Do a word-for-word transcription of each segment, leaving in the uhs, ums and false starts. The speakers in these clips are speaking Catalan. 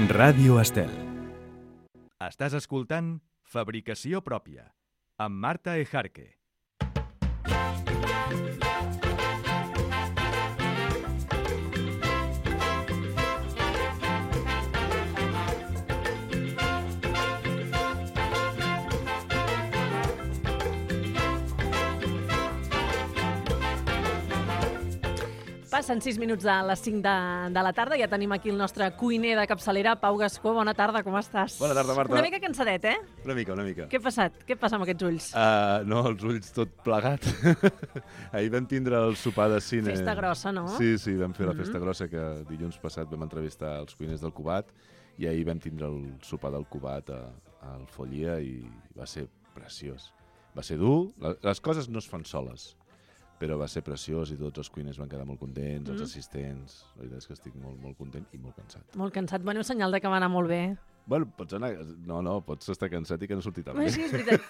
Ràdio Estel. Estàs escoltant Fabricació Pròpia, amb Marta Ejarque. Passen sis minuts de les cinc de, de la tarda. Ja tenim aquí el nostre cuiner de capçalera, Pau Gascó. Bona tarda, com estàs? Bona tarda, Marta. Una mica cansadet, eh? Una mica, una mica. Què ha passat? Què passa amb aquests ulls? Uh, no, els ulls tot plegat. Ahir vam tindre el sopar de cine. Festa grossa, no? Sí, sí, vam fer la Mm-hmm. festa grossa, que dilluns passat vam entrevistar els cuiners del Cubat, i ahir vam tindre el sopar del Cubat a, al Follia i va ser preciós. Va ser dur, les coses no es fan soles, però va ser preciós i tots els cuiners van quedar molt contents, mm. els assistents. La veritat és que estic molt, molt content i molt cansat. Molt cansat. Bueno, senyal de que va anar molt bé. Bueno, pots anar... No, no, pots estar cansat i que no surti tan bé. Sí, és veritat.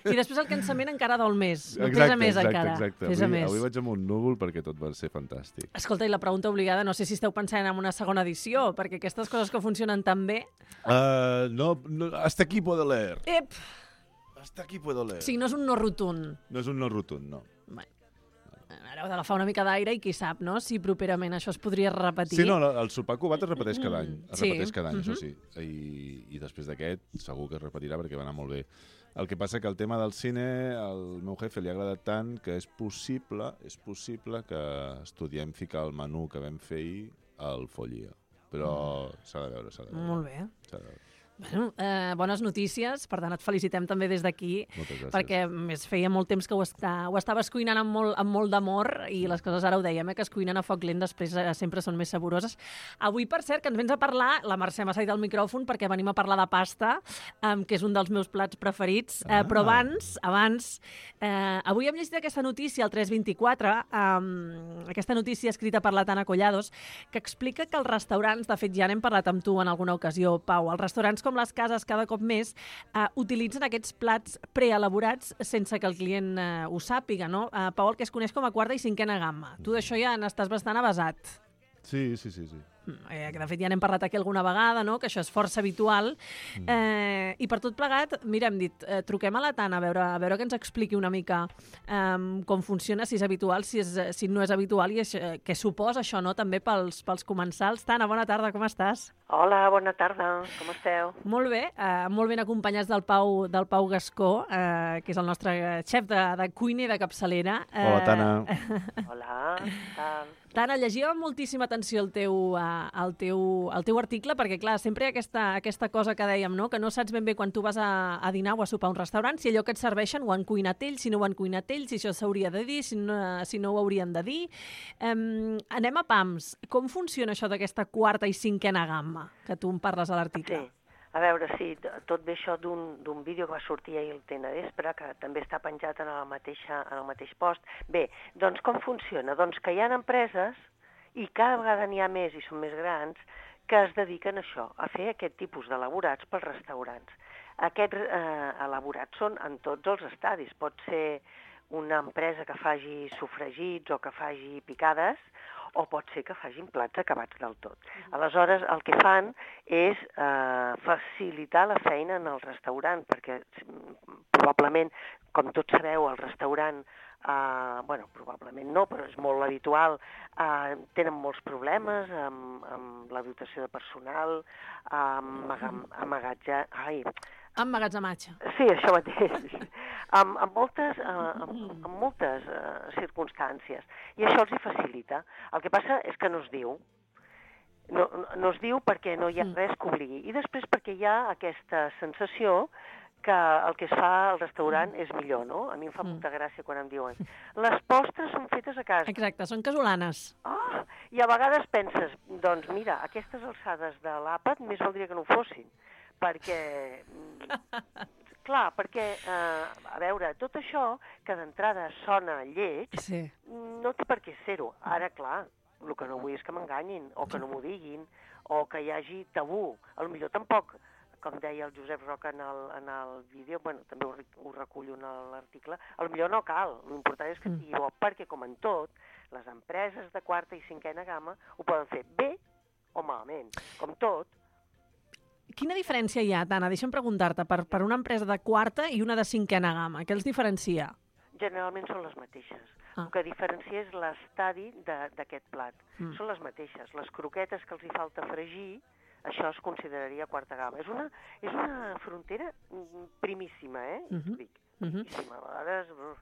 I després el cansament encara dol més. No exacte, pesa més exacte, encara. Exacte, Pesa avui, més. avui vaig amb un núvol perquè tot va ser fantàstic. Escolta, i la pregunta obligada, no sé si esteu pensant en una segona edició, perquè aquestes coses que funcionen tan bé... Uh, no, no, hasta aquí puedo leer. Ep! Hasta aquí puedo leer. Sí, no és un no rotund. No és un no rotund, no. Bé. Ara heu d'agafar una mica d'aire i qui sap, no?, si properament això es podria repetir. Sí, no, el sopar cubat es repeteix cada any. Es Sí. repeteix cada any, Mhm. això sí. I, I després d'aquest segur que es repetirà perquè va anar molt bé. El que passa que el tema del cine al meu jefe li ha agradat tant que és possible, és possible que estudiem ficar el menú que vam fer ahir al Follia. Però s'ha de veure, s'ha de veure. Molt bé. S'ha de veure. Bueno, eh, bones notícies, per tant et felicitem també des d'aquí, Moltes gràcies. perquè més feia molt temps que ho, està, ho estaves cuinant amb molt, amb molt d'amor i les coses ara ho dèiem, eh, que es cuinen a foc lent després eh, sempre són més saboroses. Avui, per cert, que ens vens a parlar, la Mercè m'ha saltat el micròfon perquè venim a parlar de pasta, eh, que és un dels meus plats preferits, eh, Ah. però abans, abans eh, avui hem llegit aquesta notícia al tres vint-i-quatre, eh, aquesta notícia escrita per la Tana Collados, que explica que els restaurants, de fet ja n'hem parlat amb tu en alguna ocasió, Pau, els restaurants com les cases cada cop més eh, utilitzen aquests plats preelaborats sense que el client eh, ho sàpiga, no? Eh, Pau, el que es coneix com a quarta i cinquena gamma. Tu d'això ja n'estàs bastant avasat. Sí, sí, sí, sí. Eh, que de fet ja n'hem parlat aquí alguna vegada, no?, que això és força habitual. Eh, I per tot plegat, mira, hem dit, eh, truquem a la Tana a veure, a veure que ens expliqui una mica eh, com funciona, si és habitual, si, és, si no és habitual, i això, eh, què suposa això, no?, també pels, pels comensals. Tana, bona tarda, com estàs? Hola, bona tarda, com esteu? Molt bé, eh, molt ben acompanyats del Pau, del Pau Gascó, eh, que és el nostre xef de, de cuina i de capçalera. Eh, Hola, Tana. Hola, què tal? Tana, llegia amb moltíssima atenció el teu, uh, el teu, el teu article, perquè, clar, sempre hi ha aquesta, aquesta cosa que dèiem, no?, que no saps ben bé quan tu vas a, a dinar o a sopar a un restaurant, si allò que et serveixen ho han cuinat ells, si no ho han cuinat ells, si això s'hauria de dir, si no, si no ho haurien de dir. Um, anem a pams. Com funciona això d'aquesta quarta i cinquena gamma, que tu em parles a l'article? Sí, a veure, sí, tot ve això d'un vídeo que va sortir ahir al Tena Vespre, que també està penjat en el, mateixa, en el mateix post. Bé, doncs com funciona? Doncs que hi ha empreses, i cada vegada n'hi ha més i són més grans, que es dediquen a això, a fer aquest tipus d'elaborats pels restaurants. Aquests eh, elaborats són en tots els estadis. Pot ser una empresa que faci sofregits o que faci picades, o pot ser que facin plats acabats del tot. Aleshores, el que fan és eh, facilitar la feina en el restaurant, perquè probablement, com tots sabeu, el restaurant, eh, bueno, probablement no, però és molt habitual, eh, tenen molts problemes amb, amb la dotació de personal, amb amagatge... Ai, emmagatzematge. Sí, això mateix. amb, amb moltes, uh, amb, amb moltes uh, circumstàncies. I això els hi facilita. El que passa és que no es diu. No, no es diu perquè no hi ha res que obligui. I després perquè hi ha aquesta sensació que el que es fa al restaurant és millor, no? A mi em fa molta gràcia quan em diuen les postres són fetes a casa. Exacte, són casolanes. Ah, i a vegades penses, doncs mira, aquestes alçades de l'àpat més valdria que no ho fossin. Perquè, clar, perquè, eh, a veure, tot això que d'entrada sona lleig, Sí. no té per què ser-ho. Ara, clar, el que no vull és que m'enganyin, o que no m'ho diguin, o que hi hagi tabú. A lo millor tampoc, com deia el Josep Roca en el, en el vídeo, bueno, també ho, ho recullo en l'article, a lo millor no cal. L'important és que sigui bo, perquè, com en tot, les empreses de quarta i cinquena gamma ho poden fer bé o malament. Com tot, quina diferència hi ha, Tana? Deixa'm preguntar-te, per, per una empresa de quarta i una de cinquena gamma, què els diferencia? Generalment són les mateixes. Ah. El que diferencia és l'estadi d'aquest plat. Mm. Són les mateixes. Les croquetes que els hi falta fregir, això es consideraria quarta gamma. És una, és una frontera primíssima, eh? Uh -huh. Dic, uh -huh. primíssima. A vegades uf,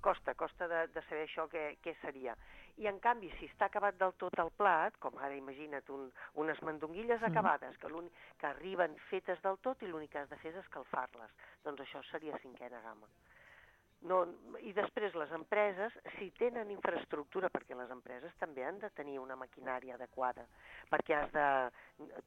costa, costa de, de saber això què, què seria. I en canvi, si està acabat del tot el plat, com ara imagina't un, unes mandonguilles Mm. acabades, que, que arriben fetes del tot i l'únic que has de fer és escalfar-les, doncs això seria cinquena gamma. No, i després les empreses, si tenen infraestructura, perquè les empreses també han de tenir una maquinària adequada, perquè has de...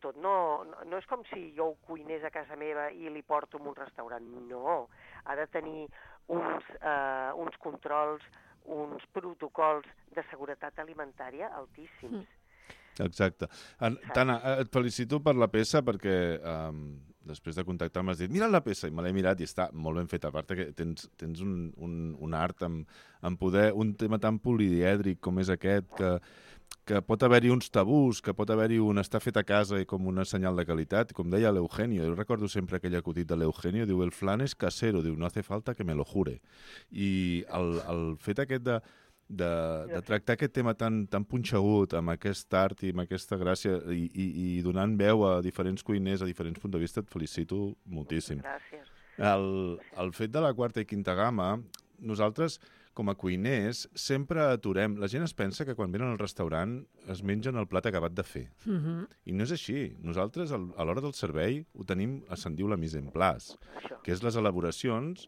Tot no, no és com si jo ho cuinés a casa meva i li porto en un restaurant, no. Ha de tenir uns, eh, uns controls, uns protocols de seguretat alimentària altíssims. Mm. Exacte. En, Tana, et felicito per la peça perquè um, després de contactar m'has dit mira la peça i me l'he mirat i està molt ben feta. A part que tens, tens un, un, un art en, en poder, un tema tan polièdric com és aquest, que, que pot haver-hi uns tabús, que pot haver-hi un estar fet a casa i com una senyal de qualitat. Com deia l'Eugenio, jo recordo sempre aquell acutit de l'Eugenio, diu el flan és casero, diu no hace falta que me lo jure. I el, el fet aquest de De, de tractar aquest tema tan, tan punxegut, amb aquest art i amb aquesta gràcia i, i, i donant veu a diferents cuiners, a diferents punts de vista, et felicito moltíssim. Gràcies. El, el fet de la quarta i quinta gamma, nosaltres, com a cuiners, sempre aturem. La gent es pensa que quan venen al restaurant es mengen el plat acabat de fer. Uh-huh. I no és així. Nosaltres, a l'hora del servei, ho tenim, se'n diu la mise en place, Això. que és les elaboracions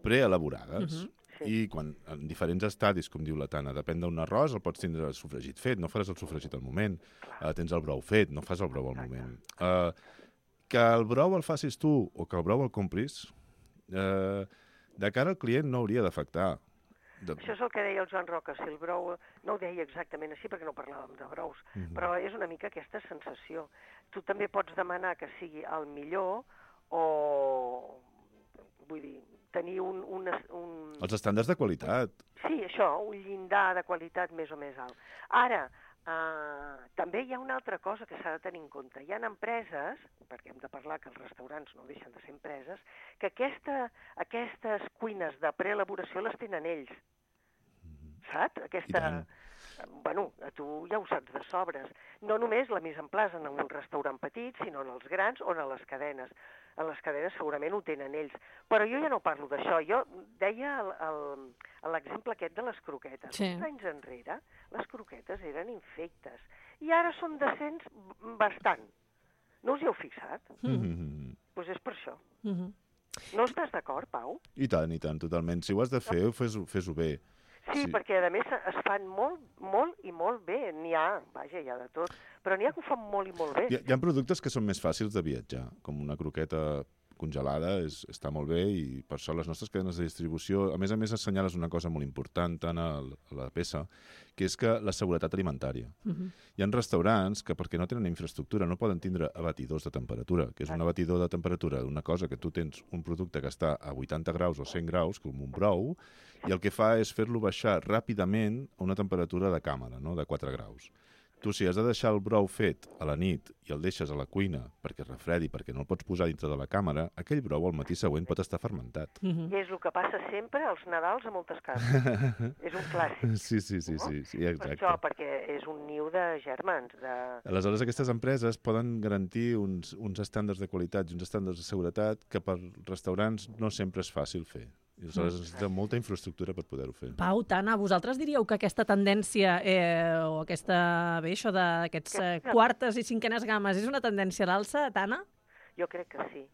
preelaborades. Sí. I quan, en diferents estadis, com diu la Tana, depèn d'un arròs, el pots tindre sofregit fet, no faràs el sofregit al moment. Uh, tens el brou fet, no fas el brou al moment. Uh, que el brou el facis tu o que el brou el compris, uh, de cara al client no hauria d'afectar. De... Això és el que deia el Joan Roca, si el brou... No ho deia exactament així perquè no parlàvem de brous, uh -huh. però és una mica aquesta sensació. Tu també pots demanar que sigui el millor o... Vull dir, tenir un, un, un... Els estàndards de qualitat. Sí, això, un llindar de qualitat més o més alt. Ara, eh, també hi ha una altra cosa que s'ha de tenir en compte. Hi ha empreses, perquè hem de parlar que els restaurants no deixen de ser empreses, que aquesta, aquestes cuines de preelaboració les tenen ells. Saps? Aquesta... Bueno, tu ja ho saps de sobres. No només la mise en place en un restaurant petit, sinó en els grans o en les cadenes. En les cadenes segurament ho tenen ells. Però jo ja no parlo d'això. Jo deia l'exemple aquest de les croquetes. Sí. Uns anys enrere, les croquetes eren infectes. I ara són decents bastant. No us hi heu fixat? Doncs Mm-hmm. pues és per això. Uh -huh. No estàs d'acord, Pau? I tant, i tant, totalment. Si ho has de fer, fes-ho fes bé. Sí, Sí. perquè a més es fan molt, molt i molt bé. N'hi ha, vaja, hi ha de tot, però n'hi ha que ho fan molt i molt bé. Hi ha, hi ha productes que són més fàcils de viatjar, com una croqueta congelada, és, està molt bé, i per això les nostres cadenes de distribució, a més a més, assenyales una cosa molt important tant a la peça, que és que la seguretat alimentària. Uh -huh. Hi ha restaurants que, perquè no tenen infraestructura, no poden tindre abatidors de temperatura, que és un abatidor de temperatura d'una cosa que tu tens un producte que està a vuitanta graus o cent graus, com un brou, i el que fa és fer-lo baixar ràpidament a una temperatura de càmera, no? De quatre graus. Tu, si has de deixar el brou fet a la nit i el deixes a la cuina perquè es refredi, perquè no el pots posar dintre de la càmera, aquell brou al matí següent pot estar fermentat. Uh -huh. I és el que passa sempre als Nadals a moltes cases. És un clàssic. Sí, sí, sí, sí, sí, Per exacte. això, perquè és un niu de germans. De... Aleshores, aquestes empreses poden garantir uns, uns estàndards de qualitat i uns estàndards de seguretat que per restaurants no sempre és fàcil fer. I aleshores Mm. necessita molta infraestructura per poder-ho fer. Pau, Tana, vosaltres diríeu que aquesta tendència eh, o aquesta, bé, això d'aquests eh, quartes i cinquenes gammes és una tendència a l'alça, Tana? Jo crec que sí.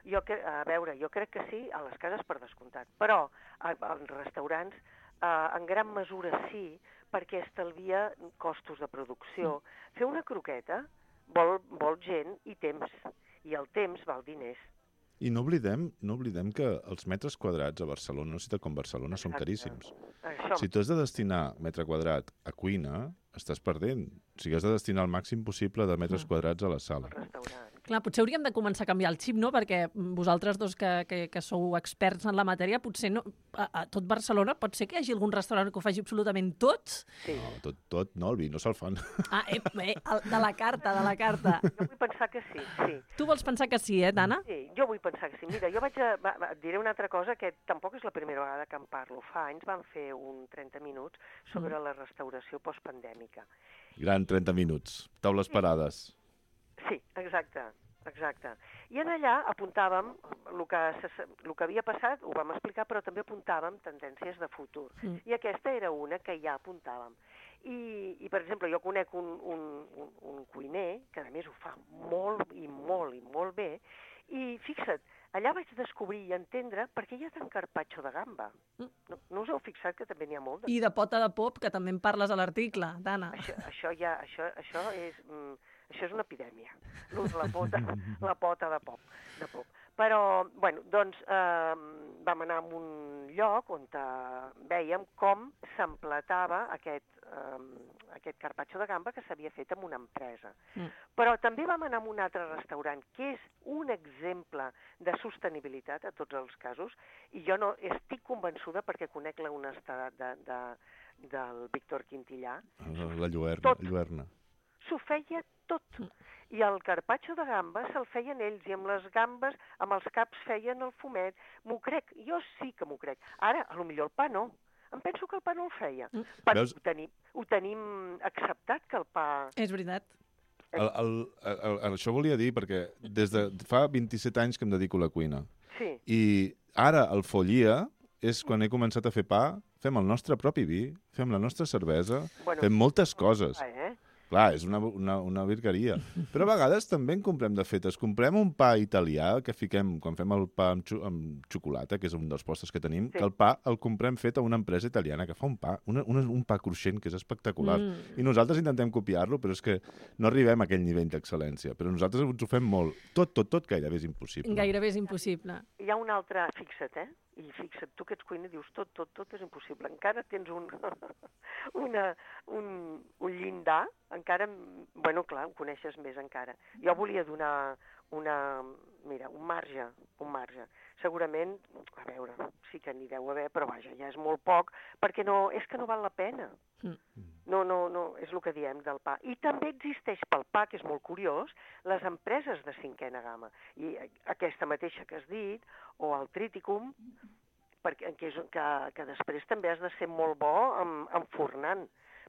Jo cre... A veure, jo crec que sí, a les cases per descomptat. Però als restaurants, eh, en gran mesura sí, perquè estalvia costos de producció. Mm. Fer una croqueta vol, vol gent i temps, i el temps val diners. I no oblidem, no oblidem que els metres quadrats a Barcelona, una ciutat com Barcelona, són caríssims. Això. Si tu has de destinar metre quadrat a cuina, estàs perdent. O sigui, has de destinar el màxim possible de metres quadrats a la sala. Al restaurant, Clar, potser hauríem de començar a canviar el xip, no? Perquè vosaltres dos que, que, que sou experts en la matèria, potser no, a, a tot Barcelona pot ser que hi hagi algun restaurant que ho faci absolutament tot? Sí. No, tot, tot, no, el vi no se'l fan. Ah, eh, eh, de la carta, de la carta. Jo vull pensar que sí, sí. Tu vols pensar que sí, eh, Tana? Sí, jo vull pensar que sí. Mira, jo vaig a... Va, va, et diré una altra cosa que tampoc és la primera vegada que en parlo. Fa anys vam fer un trenta minuts sobre la restauració postpandèmica. Gran trenta minuts. Taules parades. Sí, exacte, exacte. I en allà apuntàvem el que, el que havia passat, ho vam explicar, però també apuntàvem tendències de futur. Mm. I aquesta era una que ja apuntàvem. I, i per exemple, jo conec un, un, un, un cuiner, que a més ho fa molt i molt i molt bé, i fixa't, allà vaig descobrir i entendre per què hi ha tant carpaccio de gamba. No, no us heu fixat que també n'hi ha molt? De... I de pota de pop, que també en parles a l'article, Tana. Això, això, ja, això, això és... Mm, Això és una epidèmia, l'ús la pota, la pota de pop, de pop. Però, bueno, doncs eh, vam anar a un lloc on eh, vèiem com s'emplatava aquest, eh, aquest carpaccio de gamba que s'havia fet en una empresa. Mm. Però també vam anar a un altre restaurant, que és un exemple de sostenibilitat a tots els casos, i jo no estic convençuda perquè conec la honestedat de, de, del Víctor Quintillà. La Lluerna. Lluerna. S'ho feia tot. I el carpaccio de gamba se'l feien ells, i amb les gambes, amb els caps feien el fumet. M'ho crec, jo sí que m'ho crec. Ara, a lo millor el pa no. Em penso que el pa no el feia. Mm. Perquè Veus? Ho, tenim, ho tenim acceptat, que el pa... És veritat. El, el, el, el, això volia dir, perquè des de fa vint-i-set anys que em dedico a la cuina. Sí. I ara el Follia és quan he començat a fer pa, fem el nostre propi vi, fem la nostra cervesa, bueno, fem moltes coses. Pa, eh? Clar, és una, una, una virgueria. Però a vegades també en comprem de fetes. Comprem un pa italià que fiquem, quan fem el pa amb, xo amb xocolata, que és un dels postres que tenim, sí. que el pa el comprem fet a una empresa italiana que fa un pa, una, una, un pa cruixent que és espectacular. Mm. I nosaltres intentem copiar-lo, però és que no arribem a aquell nivell d'excel·lència. Però nosaltres ens ho fem molt. Tot, tot, tot gairebé és impossible. Gairebé és impossible. Hi ha un altre, fixa't, eh? I fixa't, tu que ets cuiner dius tot, tot, tot és impossible. Encara tens un, una, un, un llindar, encara, bueno, clar, ho coneixes més encara. Jo volia donar una, mira, un marge, un marge. Segurament, a veure, sí que n'hi deu haver, però vaja, ja és molt poc, perquè no, és que no val la pena. No, no, no, és el que diem del pa. I també existeix pel pa, que és molt curiós, les empreses de cinquena gamma. I aquesta mateixa que has dit, o el Triticum, perquè, que, és, que, que després també has de ser molt bo amb, enfornant,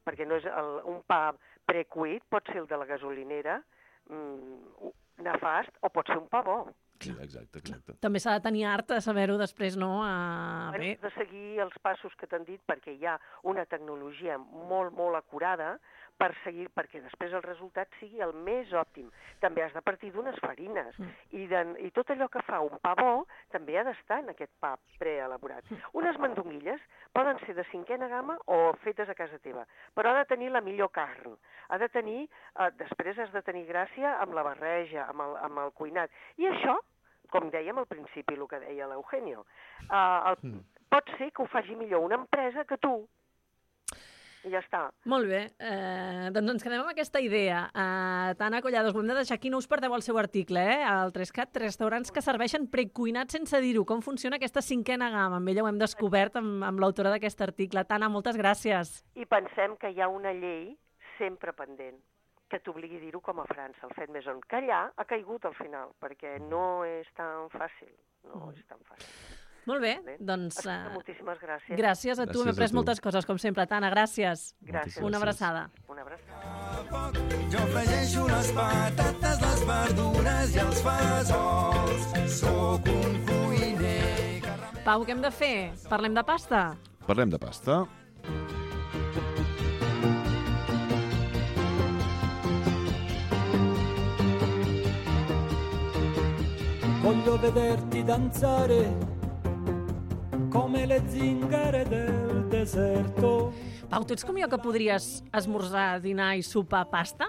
perquè no és el, un pa precuit, pot ser el de la gasolinera, mmm, nefast, o pot ser un pa bo. Sí, exacte, exacte. També s'ha de tenir art a saber-ho després, no? A... Bé. Has de seguir els passos que t'han dit perquè hi ha una tecnologia molt, molt acurada per seguir, perquè després el resultat sigui el més òptim. També has de partir d'unes farines mm. i, de, i tot allò que fa un pa bo també ha d'estar en aquest pa preelaborat. Mm. Unes mandonguilles poden ser de cinquena gamma o fetes a casa teva, però ha de tenir la millor carn. Ha de tenir, eh, després has de tenir gràcia amb la barreja, amb el, amb el cuinat. I això, com dèiem al principi, el que deia l'Eugenio, eh, el, mm. pot ser que ho faci millor una empresa que tu. I ja està. Molt bé, eh, doncs ens quedem amb aquesta idea. Uh, Tana Collados, ho hem de deixar aquí, no us perdeu el seu article, eh? El tres cat, restaurants que serveixen precuinat sense dir-ho. Com funciona aquesta cinquena gamma? Amb ella ho hem descobert amb, amb l'autora d'aquest article. Tana, moltes gràcies. I pensem que hi ha una llei sempre pendent que t'obligui a dir-ho com a França, el fet més on. Que allà ha caigut al final, perquè no és tan fàcil. No és tan fàcil. Molt bé, doncs... Uh, moltíssimes gràcies. Gràcies a tu, hem après moltes coses, com sempre. Tana, gràcies. Gràcies. Una abraçada. Una abraçada. Jo afegeixo les patates, les verdures i els fesols. Sóc un cuiner... Pau, què hem de fer? Parlem de pasta? Parlem de pasta. Voglio vederti danzare come le zingare del deserto. Pau, tu ets com jo que podries esmorzar, dinar i sopar pasta?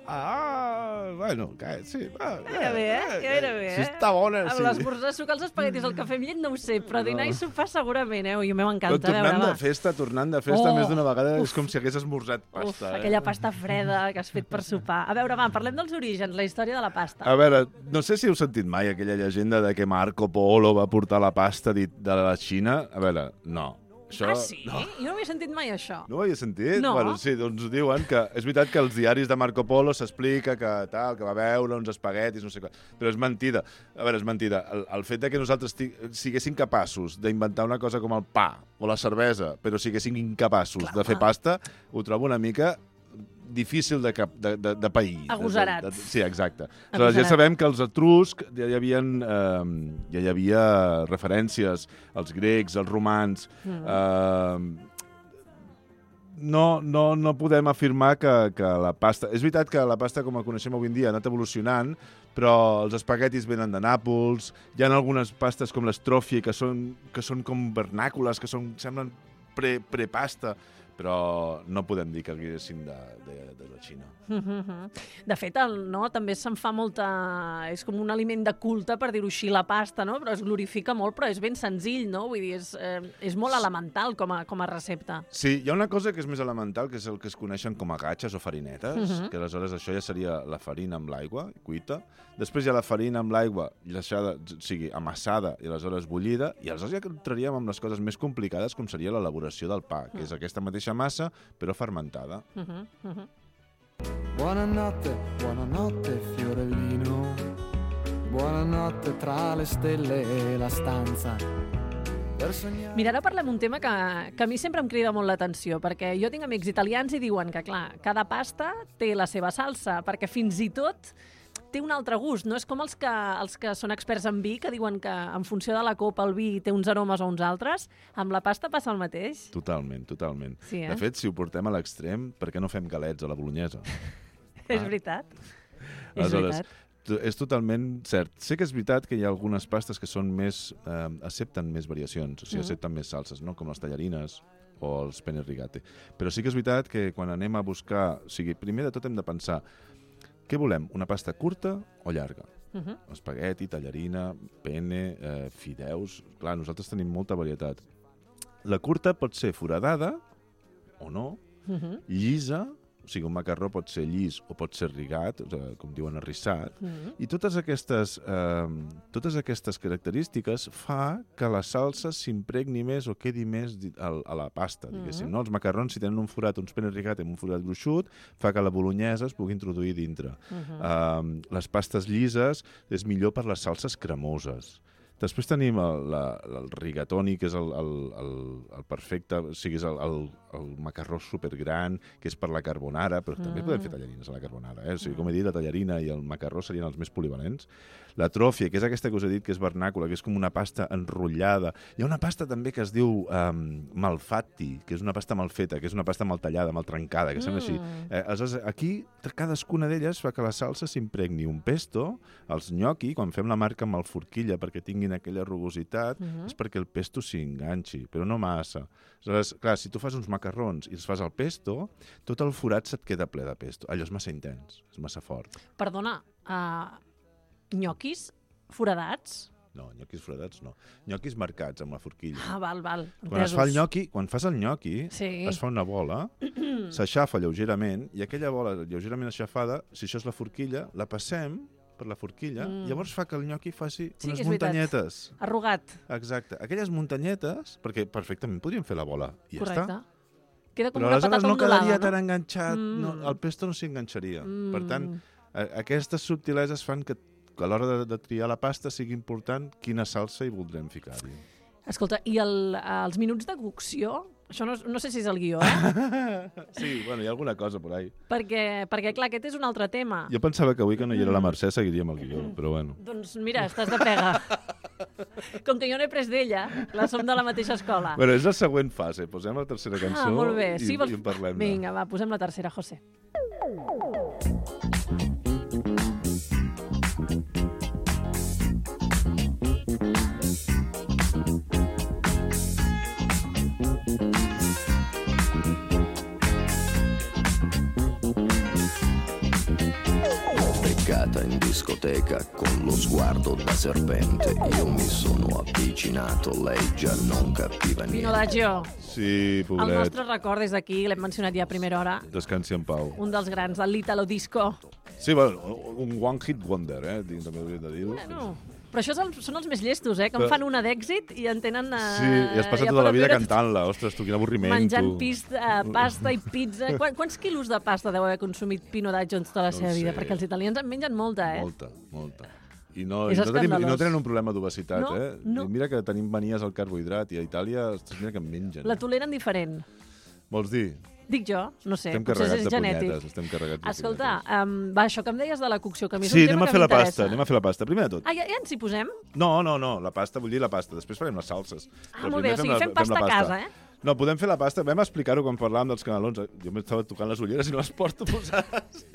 Ah, bueno, que, sí. Ah, Gairebé, eh? Gairebé, Si eh? està bona, Amb sí. l'esmorzar, sucar els espaguetis, el cafè amb llet, no ho sé, però dinar No. i sopar segurament, eh? Ui, a mi Però m'encanta, a tornant veure, de va. festa, tornant de festa, Oh, més d'una vegada, uf. és com si hagués esmorzat Uf, pasta. eh? aquella pasta freda que has fet per sopar. A veure, va, parlem dels orígens, la història de la pasta. A veure, no sé si heu sentit mai aquella llegenda de que Marco Polo va portar la pasta dit de la Xina. A veure, no. Això, Ah, sí? No. Jo no havia sentit mai això. No ho havia sentit? No. Bueno, sí, doncs diuen que és veritat que als diaris de Marco Polo s'explica que tal, que va veure uns espaguetis, no sé què, però és mentida. A veure, és mentida. El, el fet de que nosaltres ti- siguéssim capaços d'inventar una cosa com el pa o la cervesa, però siguéssim incapaços Clar, de fer home. pasta, ho trobo una mica difícil de, cap, de, de, de pair. Agosarats. De, de, de, sí, exacte. Aleshores, ja Agosarats. sabem que els etruscs ja hi havia, eh, ja hi havia referències, els grecs, els romans... Mm. Eh, no, no, no podem afirmar que, que la pasta... És veritat que la pasta, com la coneixem avui en dia, ha anat evolucionant, però els espaguetis venen de Nàpols, hi ha algunes pastes com l'estrofie, que són, que són com vernàcules, que són, semblen pre, prepasta, però no podem dir que haguessin de, de, de la Xina. De fet, el, no, també se'n fa molta... És com un aliment de culte, per dir-ho així, la pasta, no? Però es glorifica molt, però és ben senzill, no? Vull dir, és, eh, és molt elemental com a, com a recepta. Sí, hi ha una cosa que és més elemental, que és el que es coneixen com a gatxes o farinetes, uh -huh. que aleshores això ja seria la farina amb l'aigua, cuita. Després hi ha la farina amb l'aigua, deixada, o sigui, amassada i aleshores bullida, i aleshores ja entraríem amb les coses més complicades, com seria l'elaboració del pa, que és aquesta mateixa massa, però fermentada. Uh -huh, uh -huh. Buonanotte, buonanotte Fiorellino, buonanotte tra le stelle e la stanza. Per sognare... Mira, ara parlem un tema que, que a mi sempre em crida molt l'atenció, perquè jo tinc amics italians i diuen que, clar, cada pasta té la seva salsa, perquè fins i tot té un altre gust. No és com els que, els que són experts en vi, que diuen que en funció de la copa el vi té uns aromes o uns altres. Amb la pasta passa el mateix. Totalment, totalment. Sí, eh? De fet, si ho portem a l'extrem, per què no fem galets a la bolognesa? És veritat. És Aleshores, veritat. to- és totalment cert. Sé que és veritat que hi ha algunes pastes que són més, eh, accepten més variacions, o sigui, Mhm. accepten més salses, no? Com les tallarines o els penne rigate. Però sí que és veritat que quan anem a buscar... O sigui, primer de tot hem de pensar què volem, una pasta curta o llarga? Uh -huh. Espagueti, tallarina, penne, eh, fideus... Clar, nosaltres tenim molta varietat. La curta pot ser foradada o no, Uh -huh. llisa, o sigui, un macarró pot ser llis o pot ser rigat, o sigui, com diuen arrissat, Uh -huh. i totes aquestes, eh, totes aquestes característiques fa que la salsa s'impregni més o quedi més di- al- a la pasta, diguéssim. Mhm. No? Els macarrons, si tenen un forat, uns penne rigat amb un forat gruixut, fa que la bolognesa es pugui introduir dintre. Uh -huh. Uh, les pastes llises és millor per les salses cremoses. Després tenim el, la, el rigatoni, que és el, el, el, el perfecte, o sigui, és el, el, el macarró supergran, que és per la carbonara, però també Mm. podem fer tallarines a la carbonara. Eh? O sigui, com he dit, la tallarina i el macarró serien els més polivalents. La tròfia, que és aquesta que us he dit, que és vernàcula, que és com una pasta enrotllada. Hi ha una pasta també que es diu um, malfatti, que és una pasta mal feta, que és una pasta mal tallada, mal trencada, que sembla així. Mm. Eh, aleshores, aquí, cadascuna d'elles fa que la salsa s'impregni. Un pesto, els gnocchi, quan fem la marca amb el forquilla perquè tinguin aquella rugositat, Mhm. és perquè el pesto s'enganxi, però no massa. Aleshores, clar, si tu fas uns macarrons i els fas al pesto, tot el forat se't queda ple de pesto. Allò és massa intens, és massa fort. Perdona, uh, nyoquis foradats? No, nyoquis foradats no. Nyoquis marcats amb la forquilla. Ah, val, val. Quan es entesos. fa el gnocchi, quan fas el gnocchi, Sí. es fa una bola, s'aixafa lleugerament, i aquella bola lleugerament aixafada, si això és la forquilla, la passem per la forquilla, Mm. llavors fa que el gnocchi faci Sí, unes és veritat. muntanyetes. Arrugat, Exacte. Aquelles muntanyetes, perquè perfectament podríem fer la bola, i ja correcte. està. Queda com Però una aleshores patata no ondulada, quedaria no? tan enganxat, Mm. no, el pesto no s'enganxaria. Mm. Per tant, a- aquestes subtileses fan que, que a l'hora de, de triar la pasta sigui important quina salsa hi voldrem ficar-hi. Escolta, i el, els minuts de cocció? Això no, no sé si és el guió, eh? Sí, bueno, hi ha alguna cosa por ahí. perquè, perquè, clar, aquest és un altre tema. Jo pensava que avui que no hi era la Mercè seguiríem el guió, però bueno. Doncs mira, estàs de pega. Com que jo n'he pres d'ella, la som de la mateixa escola. Bueno, és la següent fase. Posem la tercera cançó ah, molt bé. i, Sí, vols... i en parlem. Vinga, va, posem la tercera, José. beccata in discoteca con lo sguardo da serpente. Io mi sono avvicinato, lei già non capiva niente. Pino Daggio. Sí, pobret. El nostre record des d'aquí, l'hem mencionat ja a primera hora, Descansi en pau. un dels grans, el l'Italo Disco. Sí, bueno, un one hit wonder, eh? També hauria de dir-ho. Bueno, però això el, són els més llestos, eh? Que en Però... fan una d'èxit i en tenen... Uh, Sí, i has passat ja tota la poden vida viure cantant-la. Ostres, tu, quin avorriment, menjant tu. pis, uh, pasta i pizza. Quan, quants quilos de pasta deu haver consumit Pino Daggio en tota la No seva sé. vida? Perquè els italians en mengen molta, eh? Molta, molta. I no, És i no, tenim, i no escandalós. tenen un problema d'obesitat, No, eh? no. I mira que tenim manies al carbohidrat i a Itàlia, ostres, mira que en mengen. La toleren diferent. Vols dir? Dic jo, no sé, Estem potser carregats és de genètic. punyetes, estem carregats de Escolta, um, va, això que em deies de la cocció, que a mi és Sí, un anem tema a que fer la m'interessa. pasta, anem a fer la pasta. Primer de tot. Ah, ja, ja ens hi posem? No, no, no, la pasta, vull dir la pasta. Després farem les salses. Ah, Però molt primer bé, o sigui, la- fem pasta la a casa, eh? No, podem fer la pasta. Vam explicar-ho quan parlàvem dels canelons. Jo m'estava tocant les ulleres i no les porto posades.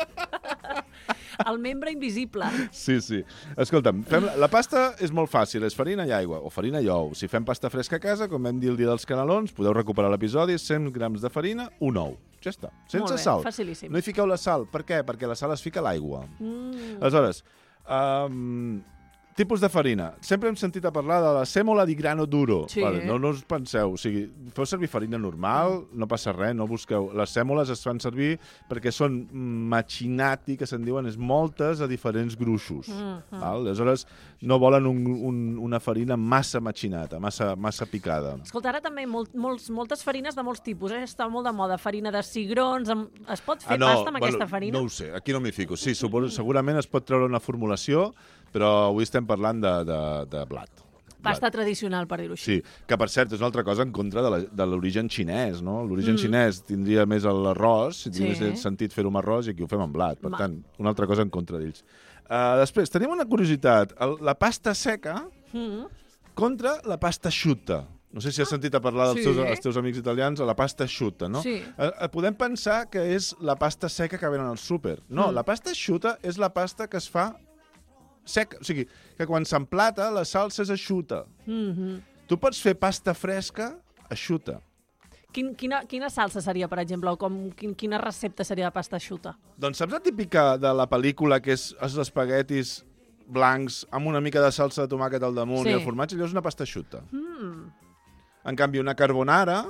El membre invisible. Sí, sí. Escolta'm, fem la, la pasta és molt fàcil, és farina i aigua, o farina i ou. Si fem pasta fresca a casa, com vam dir el dia dels canelons, podeu recuperar l'episodi, cent grams de farina, un ou. Ja està, sense Molt bé, sal. facilíssim. No hi fiqueu la sal. Per què? Perquè la sal es fica a l'aigua. Mm. Aleshores, um, tipus de farina. Sempre hem sentit a parlar de la sèmola di grano duro. Sí. Vale, no, no us penseu. O sigui, feu servir farina normal, no passa res, no busqueu. Les sèmoles es fan servir perquè són machinati, que se'n diuen, és moltes a diferents gruixos. Mm-hmm. Val? Aleshores, no volen un, un, una farina massa machinata, massa, massa picada. Escolta, ara també molt, molts, moltes farines de molts tipus, eh? Està molt de moda. Farina de cigrons, amb... es pot fer pasta amb aquesta farina? No ho sé, aquí no m'hi fico. Sí, suposo, segurament es pot treure una formulació, però avui estem parlant de, de, de blat. Pasta Blat. tradicional, per dir-ho així. Sí, que per cert és una altra cosa en contra de la- de l'origen xinès, no? L'origen Mm. xinès tindria més l'arròs, si Sí. tingués sentit fer-ho amb arròs, i aquí ho fem amb blat. Per Ma. tant, una altra cosa en contra d'ells. Uh, després, tenim una curiositat. El, la pasta seca Mm. contra la pasta asciutta. No sé si has sentit a parlar dels sí. teus, els teus amics italians de la pasta asciutta, no? Sí. Eh, eh, podem pensar que és la pasta seca que venen al súper. No, Mm. la pasta asciutta és la pasta que es fa seca. O sigui, que quan s'emplata, la salsa és asciutta. Mm-hmm. Tu pots fer pasta fresca asciutta. Quin, quina, quina salsa seria, per exemple, o com, quin, quina recepta seria de pasta asciutta? Doncs saps la típica de la pel·lícula que és els espaguetis blancs amb una mica de salsa de tomàquet al damunt Sí. i el formatge? Allò és una pasta asciutta. Mm. En canvi, una carbonara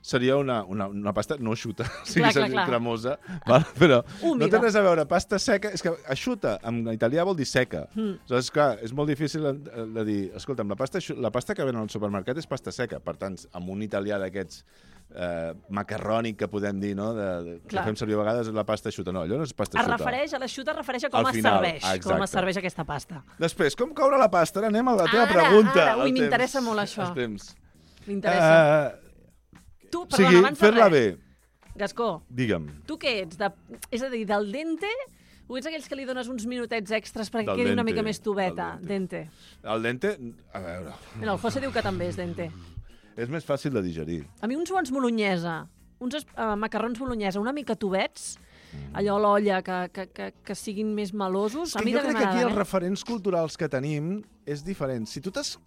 seria una, una, una pasta no eixuta, o sigui, Clar, clar, seria clar. cremosa, val? Però Húmida. no té res a veure. Pasta seca, és que eixuta en italià vol dir seca. Mm. Aleshores, clar, és molt difícil de, de dir, escolta'm, la pasta, eixu- la pasta que venen al supermercat és pasta seca. Per tant, amb un italià d'aquests eh, macarrònic que podem dir, no? De, de, que Clar. fem servir a vegades és la pasta eixuta. No, allò no és pasta Es eixuta. refereix, a l'aixuta es refereix a com Al es final, serveix, ah, com exacte. es serveix aquesta pasta. Després, com coure la pasta? Ara anem a la teva Ara, pregunta. ara, ui, el m'interessa temps. molt això. El temps. M'interessa. Uh, tu, o perdona, sigui, abans de fer-la res, bé. Gascó, Digue'm. tu què ets? De, és a dir, del dente o ets aquells que li dones uns minutets extras perquè Del quedi una dente, mica més tubeta? del Dente. El dente, a veure, Mira, el José diu que també és dente. és més fàcil de digerir. A mi uns bons bolognesa, uns es- uh, macarrons bolognesa una mica tubets, allò a l'olla, que, que, que, que siguin més melosos, a Que mi jo també crec que aquí els m'agraden, eh? referents culturals que tenim és diferent. Si tu t'has...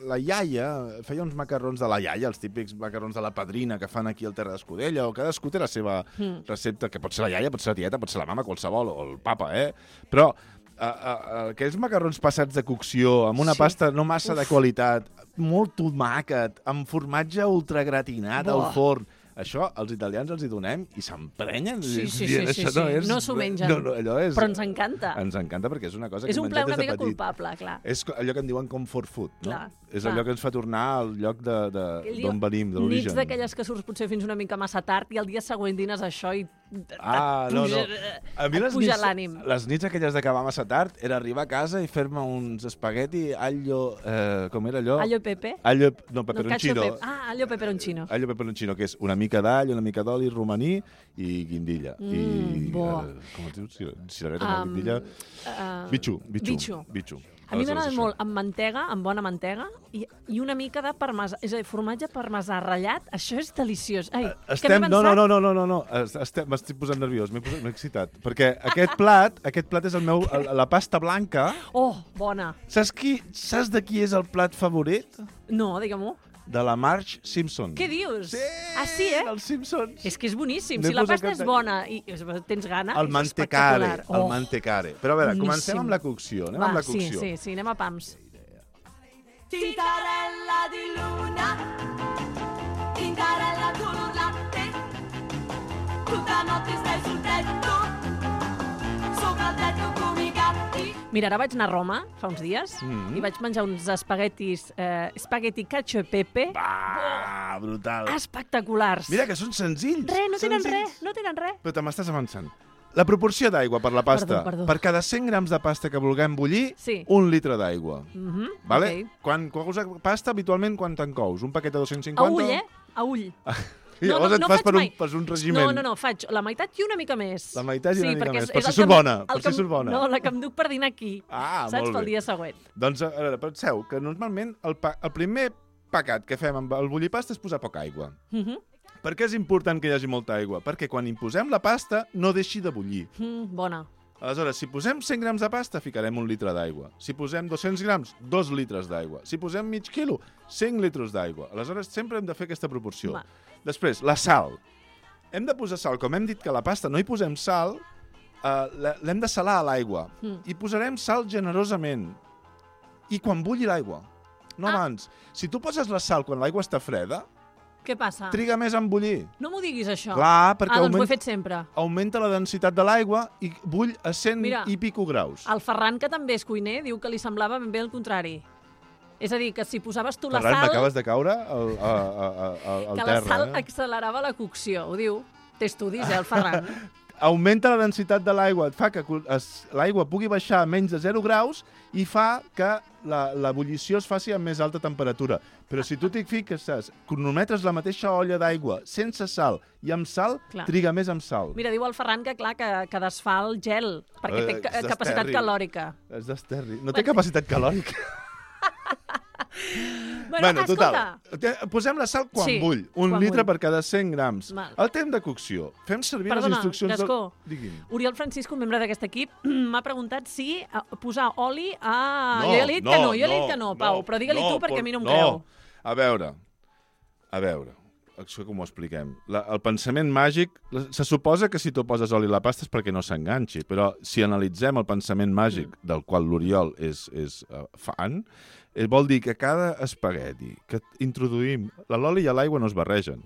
La iaia feia uns macarrons de la iaia, els típics macarrons de la padrina que fan aquí al Terra d'Escudella, o cadascú té la seva Mm. recepta, que pot ser la iaia, pot ser la tieta, pot ser la mama, qualsevol, o el papa, eh? Però a, a, a, aquells macarrons passats de cocció, amb una Sí. pasta no massa Uf. de qualitat, molt tomàquet, amb formatge ultragratinat Buah. al forn, això els italians els hi donem i s'emprenyen. Sí, sí, dient, sí, sí, això sí. no és- No s'ho mengen. No, no, allò és... Però ens encanta. Ens encanta perquè és una cosa És que un hem plaer menjat una des de mica petit. culpable, clar. És co- allò que en diuen comfort food, no? Clar, és clar. allò que ens fa tornar al lloc de, de, Aquell dia, d'on venim, de Nits l'origen. d'aquelles que surts potser fins una mica massa tard i el dia següent dines això i Ah, et no, puja, no. A mi et les puja nits, l'ànim. les nits aquelles d'acabar massa tard era arribar a casa i fer-me uns espagueti allo... Eh, com era allò? Allo pepe? Allo, no, No, peperoncino. cacio pepe. Ah, allo peperoncino. Allo peperoncino, que és una mica d'all, una mica d'oli romaní i guindilla. Mm, I, bo. eh, com es diu? Cir- Cirereta, no, Um, guindilla. uh, Bitxo, bitxo. bitxo. bitxo. A mi m'agrada Aleshores, molt amb mantega, amb bona mantega, i, i una mica de parmesà, és a dir, formatge parmesà ratllat, això és deliciós. Ai, Eh, que Estem... m'he No, no, pensat- no, no, no, no, no. Es- Estem... M'estic posant nerviós, m'he posat... m'he excitat. Perquè aquest plat, aquest plat és el meu... el- La pasta blanca. Oh, bona. Saps, qui... Saps de qui és el plat favorit? No, digue-m'ho. de la Marge Simpson. Què dius? Sí! Ah, sí, eh? Els Simpsons. És que és boníssim. N'he Si la posat pasta és cap- bona i tens gana, El és mantecare, espectacular. el Oh, mantecare. Però a veure, boníssim. comencem amb la cocció. Anem Va, amb la sí, cocció. sí, sí, anem a pams. Tintarella di luna, tintarella color latte, tutta notte stai sul tetto, sopra il tetto come i gatti. Mira, ara vaig anar a Roma fa uns dies Mm. i vaig menjar uns espaguetis, eh, espagueti cacio e pepe, Va, brutal. espectaculars. Mira que són senzills. Res, no tenen senzills. res, no tenen res. Però te m'estàs avançant. La proporció d'aigua per la pasta. Perdó, perdó. Per cada cent grams de pasta que vulguem bullir, Sí. un litre d'aigua. Mhm, Vale? ok. Quan cous pasta, habitualment, quan te'n cous? Un paquet de dos-cents A cinquanta? ull, eh? A ull. I llavors et fas faig per un, mai. per un regiment. No, no, no, faig la meitat i una mica més. La meitat i una mica perquè més, és- per és si el surt que em- bona, el per que si em- surt bona. No, la que em duc per dinar aquí. Ah, Saps? molt Pel bé. dia següent. Doncs, a veure, penseu que normalment el, pa, el primer pecat que fem amb el bullir pasta és posar poca aigua. Mhm. Per què és important que hi hagi molta aigua? Perquè quan hi posem la pasta no deixi de bullir. Mm, bona. Aleshores, si posem cent grams de pasta, ficarem un litre d'aigua. Si posem dos-cents grams, dos litres d'aigua. Si posem mig quilo, cinc litres d'aigua. Aleshores, sempre hem de fer aquesta proporció. Va. Després, la sal. Hem de posar sal. Com hem dit que a la pasta no hi posem sal, eh, la- l'hem de salar a l'aigua. Mm. I posarem sal generosament. I quan bulli l'aigua, no Ah. abans. Si tu poses la sal quan l'aigua està freda, Què passa? triga més en bullir. No m'ho diguis, això. Clar, perquè ah, doncs ho he augment- fet sempre. augmenta la densitat de l'aigua i bull a cent Mira. i pico graus. El Ferran, que també és cuiner, diu que li semblava ben bé el contrari. És a dir, que si posaves tu la Ferran, sal, m'acabes de caure al, a, a, a, al que terra. la sal eh? accelerava la cocció. Ho diu. Té estudis, eh, el Ferran. Augmenta la densitat de l'aigua, et fa que es- l'aigua pugui baixar a menys de zero graus i fa que la, la bullició es faci a més alta temperatura. Però si tu t'hi fiques, cronometres la mateixa olla d'aigua sense sal i amb sal, Clar. triga més amb sal. Mira, diu el Ferran que, clar, que, que desfà el gel, perquè Eh, té ca- és capacitat d'esterri. calòrica. És d'esterri. No té capacitat calòrica. Bueno, bueno, escolta, total. Te- Posem la sal quan Sí, bull. Un quan litre bull. per cada cent grams. Val. El temps de cocció. Fem servir Perdona, les instruccions... Gascó. Del... Digui'm. Oriol Francisco, un membre d'aquest equip, m'ha preguntat si eh, posar oli a... No, jo ja li he dit no, que no, jo li he dit no, que no, no, Pau, però digue-li no, tu perquè por- a mi no em no. creu. A veure, a veure, això com ho expliquem? La, el pensament màgic, la- se suposa que si tu poses oli a la pasta és perquè no s'enganxi, però si analitzem el pensament màgic Mm. del qual l'Oriol és, és uh, fan, eh, vol dir que cada espagueti que introduïm, l'oli i l'aigua no es barregen,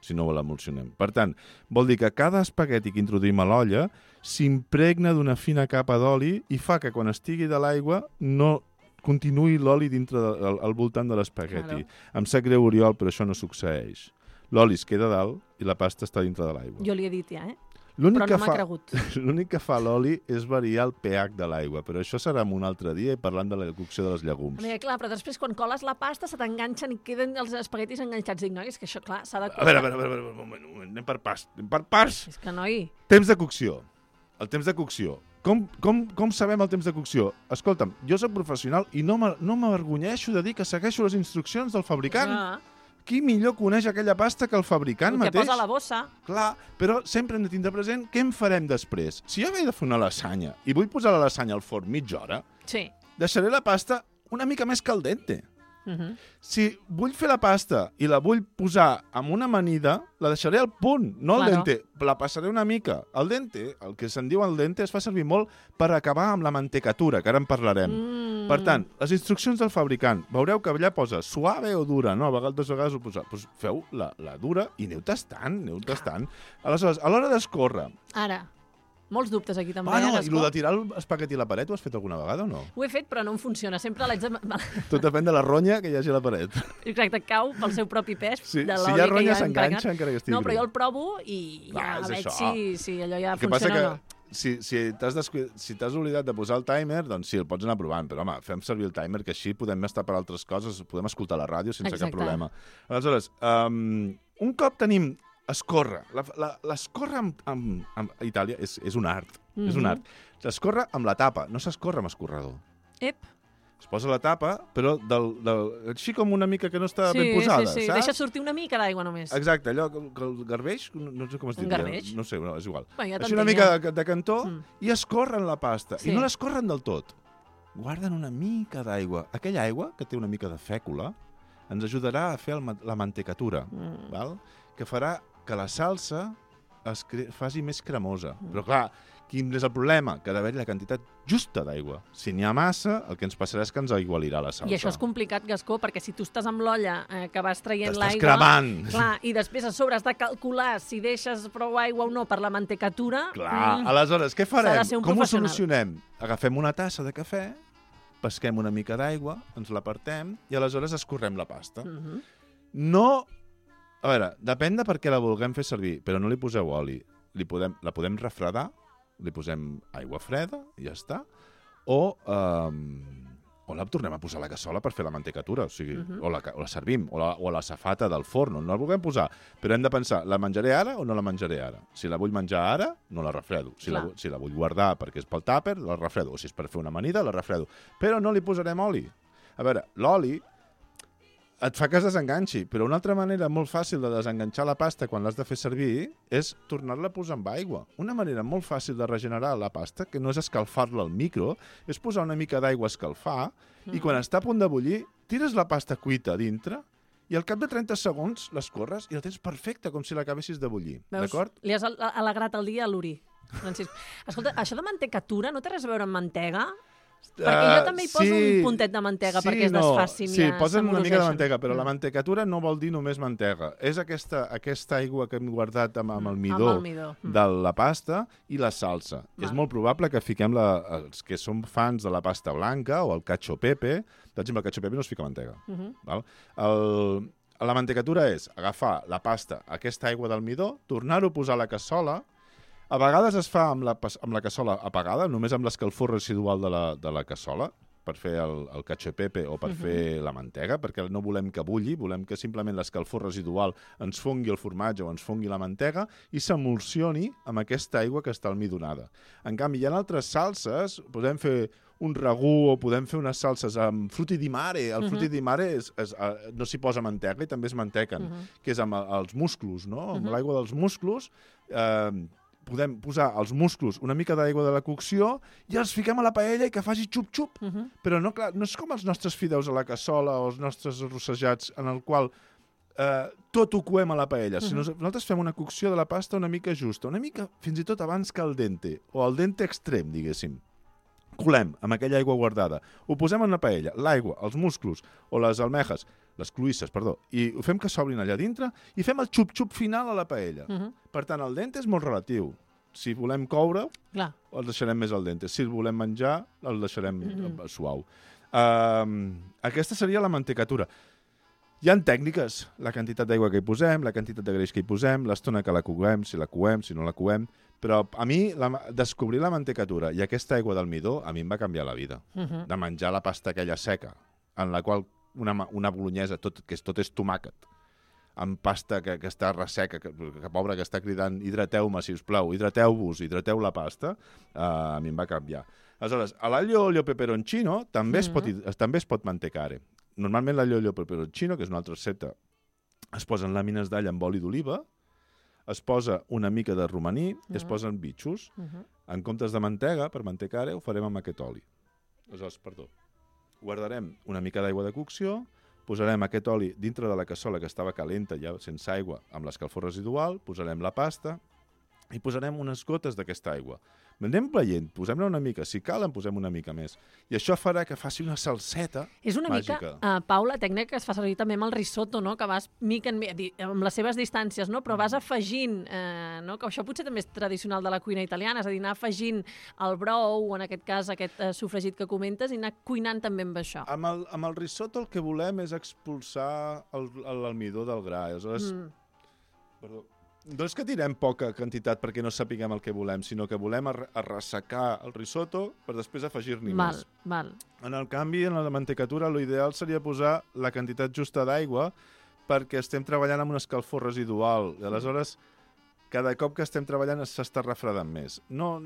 si no l'emulsionem. Per tant, vol dir que cada espagueti que introduïm a l'olla s'impregna d'una fina capa d'oli i fa que quan estigui de l'aigua no continuï l'oli dintre de, al, al voltant de l'espagueti. Claro. Em sap greu, Oriol, però això no succeeix. L'oli es queda dalt i la pasta està dintre de l'aigua. Jo li he dit ja, eh? L'únic Però que no m'ha fa- cregut. L'únic que fa l'oli és variar el pH de l'aigua, però això serà en un altre dia i parlant de la cocció dels llegums. Perquè, clar, però després quan coles la pasta se t'enganxen i queden els espaguetis enganxats. Dic, noi, és que això, clar, s'ha de... A veure, a veure, a veure, a veure, un moment, un moment, anem per pas, anem per pas. És que, noi... Temps de cocció. El temps de cocció. Com, com, com sabem el temps de cocció? Escolta'm, jo soc professional i no m'a- no m'avergonyeixo de dir que segueixo les instruccions del fabricant. Ah, Qui millor coneix aquella pasta que el fabricant el que mateix? posa a la bossa. Clar, però sempre hem de tindre present què en farem després. Si jo vaig de fer una lasanya i vull posar la lasanya al forn mitja hora, Sí. deixaré la pasta una mica més caldente. Uh -huh. Si vull fer la pasta i la vull posar amb una amanida, la deixaré al punt, no al Claro. dente. La passaré una mica. El dente, el que se'n diu el dente, es fa servir molt per acabar amb la mantecatura, que ara en parlarem. Mm. Per tant, les instruccions del fabricant, veureu que allà posa suave o dura, no? A vegades, a vegades ho posa. Doncs feu la, la dura i aneu tastant, aneu tastant. Aleshores, a l'hora d'escórrer... Ara, molts dubtes aquí també. Ah, no, eh, i Gascó? el de tirar l'espagueti a la paret ho has fet alguna vegada o no? Ho he fet, però no em funciona. Sempre l'haig de... Tot depèn de la ronya que hi hagi a la paret. Exacte, cau pel seu propi pes. Sí, de si l'oli hi ha que ronya ja hem s'enganxa pregat. encara que estigui No, però greu. jo el provo i ja Va, és veig això. si, si allò ja El que passa funciona que o no. si, si t'has descu... si t'has oblidat de posar el timer, doncs sí, el pots anar provant, però home, fem servir el timer, que així podem estar per altres coses, podem escoltar la ràdio sense Exacte. cap problema. Aleshores, um, un cop tenim escórrer, la- la- l'escórrer amb, amb, amb, a Itàlia és, és un art, mm -hmm. és un Mhm. art. S'escorre amb la tapa, no s'escorre amb escorredor. Ep. Es posa la tapa, però del, del, així com una mica que no està sí, ben posada, sí, sí. saps? Deixa sortir una mica d'aigua només. Exacte, allò que, que el garbeix, no, no sé com es Un diria. garbeix? No sé, no, és igual. Bueno, ja Així una t'entenc, mica ja. de, de cantó Mm. i escorren la pasta. Sí. I no l'escorren del tot. Guarden una mica d'aigua. Aquella aigua, que té una mica de fècula, ens ajudarà a fer el, la mantecatura, mm. val? Que farà que la salsa es cre... faci més cremosa. Mm. Però clar, quin és el problema? Que ha d'haver-hi la quantitat justa d'aigua. Si n'hi ha massa, el que ens passarà és que ens aigualirà la salsa. I això és complicat, Gascó, perquè si tu estàs amb l'olla eh, que vas traient l'aigua... T'estàs cremant! Clar, i després a sobre has de calcular si deixes prou aigua o no per la mantecatura... Clar, mm, aleshores, què farem? Com ho solucionem? Agafem una tassa de cafè, pesquem una mica d'aigua, ens l'apartem i aleshores escorrem la pasta. Mm-hmm. No... A veure, depèn de per què la vulguem fer servir, però no li poseu oli. Li podem, la podem refredar, li posem aigua freda i ja està, o, um, o la tornem a posar a la cassola per fer la mantecatura, o sigui, uh-huh. o, la, o la servim, o la, o la safata del forn, no la vulguem posar, però hem de pensar, la menjaré ara o no la menjaré ara? Si la vull menjar ara, no la refredo. Si la, si la vull guardar perquè és pel tàper, la refredo. O si és per fer una amanida, la refredo. Però no li posarem oli. A veure, l'oli et fa que es desenganxi, però una altra manera molt fàcil de desenganxar la pasta quan l'has de fer servir és tornar-la a posar amb aigua. Una manera molt fàcil de regenerar la pasta, que no és escalfar-la al micro, és posar una mica d'aigua a escalfar mm. i quan està a punt de bullir, tires la pasta cuita a dintre i al cap de trenta segons l'escorres i la tens perfecta, com si l'acabessis de bullir. D'acord? Li has alegrat el dia a l'Uri, Francisc. Escolta, això de mantecatura no té res a veure amb mantega? Perquè jo també hi poso uh, sí, un puntet de mantega sí, perquè es desfacin. No. Sí, posen una mica de mantega, però mm. la mantecatura no vol dir només mantega. És aquesta, aquesta aigua que hem guardat amb, amb el midó, amb el midó. Mm. de la pasta i la salsa. Mm. És molt probable que fiquem la, els que som fans de la pasta blanca o el cacio pepe. Per exemple, el cacio pepe no es fica mantega. Mm-hmm. Val? El, la mantecatura és agafar la pasta, aquesta aigua del midó, tornar-ho a posar a la cassola. A vegades es fa amb la, amb la cassola apagada, només amb l'escalfor residual de la, de la cassola, per fer el, el cacio pepe o per uh-huh. fer la mantega, perquè no volem que bulli, volem que simplement l'escalfor residual ens fongui el formatge o ens fongui la mantega i s'emulsioni amb aquesta aigua que està almidonada. En canvi, hi ha altres salses, podem fer un ragú o podem fer unes salses amb frutti di mare. El uh-huh. frutti di mare és, és, no s'hi posa mantega i també es mantequen, uh-huh. que és amb els musclos, no? Uh-huh. Amb l'aigua dels musclos... Eh, podem posar als musclos una mica d'aigua de la cocció i els fiquem a la paella i que faci xup-xup. Uh-huh. Però no, clar, no és com els nostres fideus a la cassola o els nostres arrossejats en el qual eh, tot ho coem a la paella. Uh-huh. Sinó nosaltres fem una cocció de la pasta una mica justa, una mica fins i tot abans que el dente, o el dente extrem, diguéssim. Colem amb aquella aigua guardada, ho posem en la paella, l'aigua, els musclos o les almejes, les cloïsses, perdó, i ho fem que s'obrin allà dintre i fem el xup-xup final a la paella. Uh-huh. Per tant, el dente és molt relatiu. Si volem coure, Clar. el deixarem més al dente. Si el volem menjar, el deixarem uh-huh. suau. Uh, aquesta seria la mantecatura. Hi ha tècniques, la quantitat d'aigua que hi posem, la quantitat de greix que hi posem, l'estona que la coem, si la coem, si no la coem, però a mi la, descobrir la mantecatura i aquesta aigua del midó a mi em va canviar la vida. Uh-huh. De menjar la pasta aquella seca, en la qual una, una bolognesa, tot, que és, tot és tomàquet, amb pasta que, que està resseca, que, que pobra que està cridant hidrateu-me, si us plau, hidrateu-vos, hidrateu la pasta, uh, a mi em va canviar. Aleshores, a l'aglio olio peperoncino també, uh-huh. es pot, també es pot mantecare. Normalment l'aglio olio peperoncino, que és una altra recepta, es posen làmines d'all amb oli d'oliva, es posa una mica de romaní i es posen bitxos. Uh-huh. En comptes de mantega, per mantecare, ho farem amb aquest oli. Aleshores, perdó, guardarem una mica d'aigua de cocció, posarem aquest oli dintre de la cassola que estava calenta, ja sense aigua, amb l'escalfor residual, posarem la pasta i posarem unes gotes d'aquesta aigua. Anem veient, posem-ne una mica, si cal en posem una mica més. I això farà que faci una salseta És una màgica. mica, uh, Pau, la tècnica que es fa servir també amb el risotto, no? Que vas mica en mica, amb les seves distàncies, no? Però vas afegint, eh, no? Que això potser també és tradicional de la cuina italiana, és a dir, anar afegint el brou, o en aquest cas aquest eh, sofregit que comentes, i anar cuinant també amb això. Amb el, amb el risotto el que volem és expulsar l'almidó del gra. Aleshores, mm. perdó, no és que tirem poca quantitat perquè no sapiguem el que volem, sinó que volem arressecar el risotto per després afegir-n'hi val, més. Val. En el canvi, en la mantecatura, l'ideal seria posar la quantitat justa d'aigua perquè estem treballant amb un escalfor residual. I aleshores, cada cop que estem treballant s'està refredant més. No...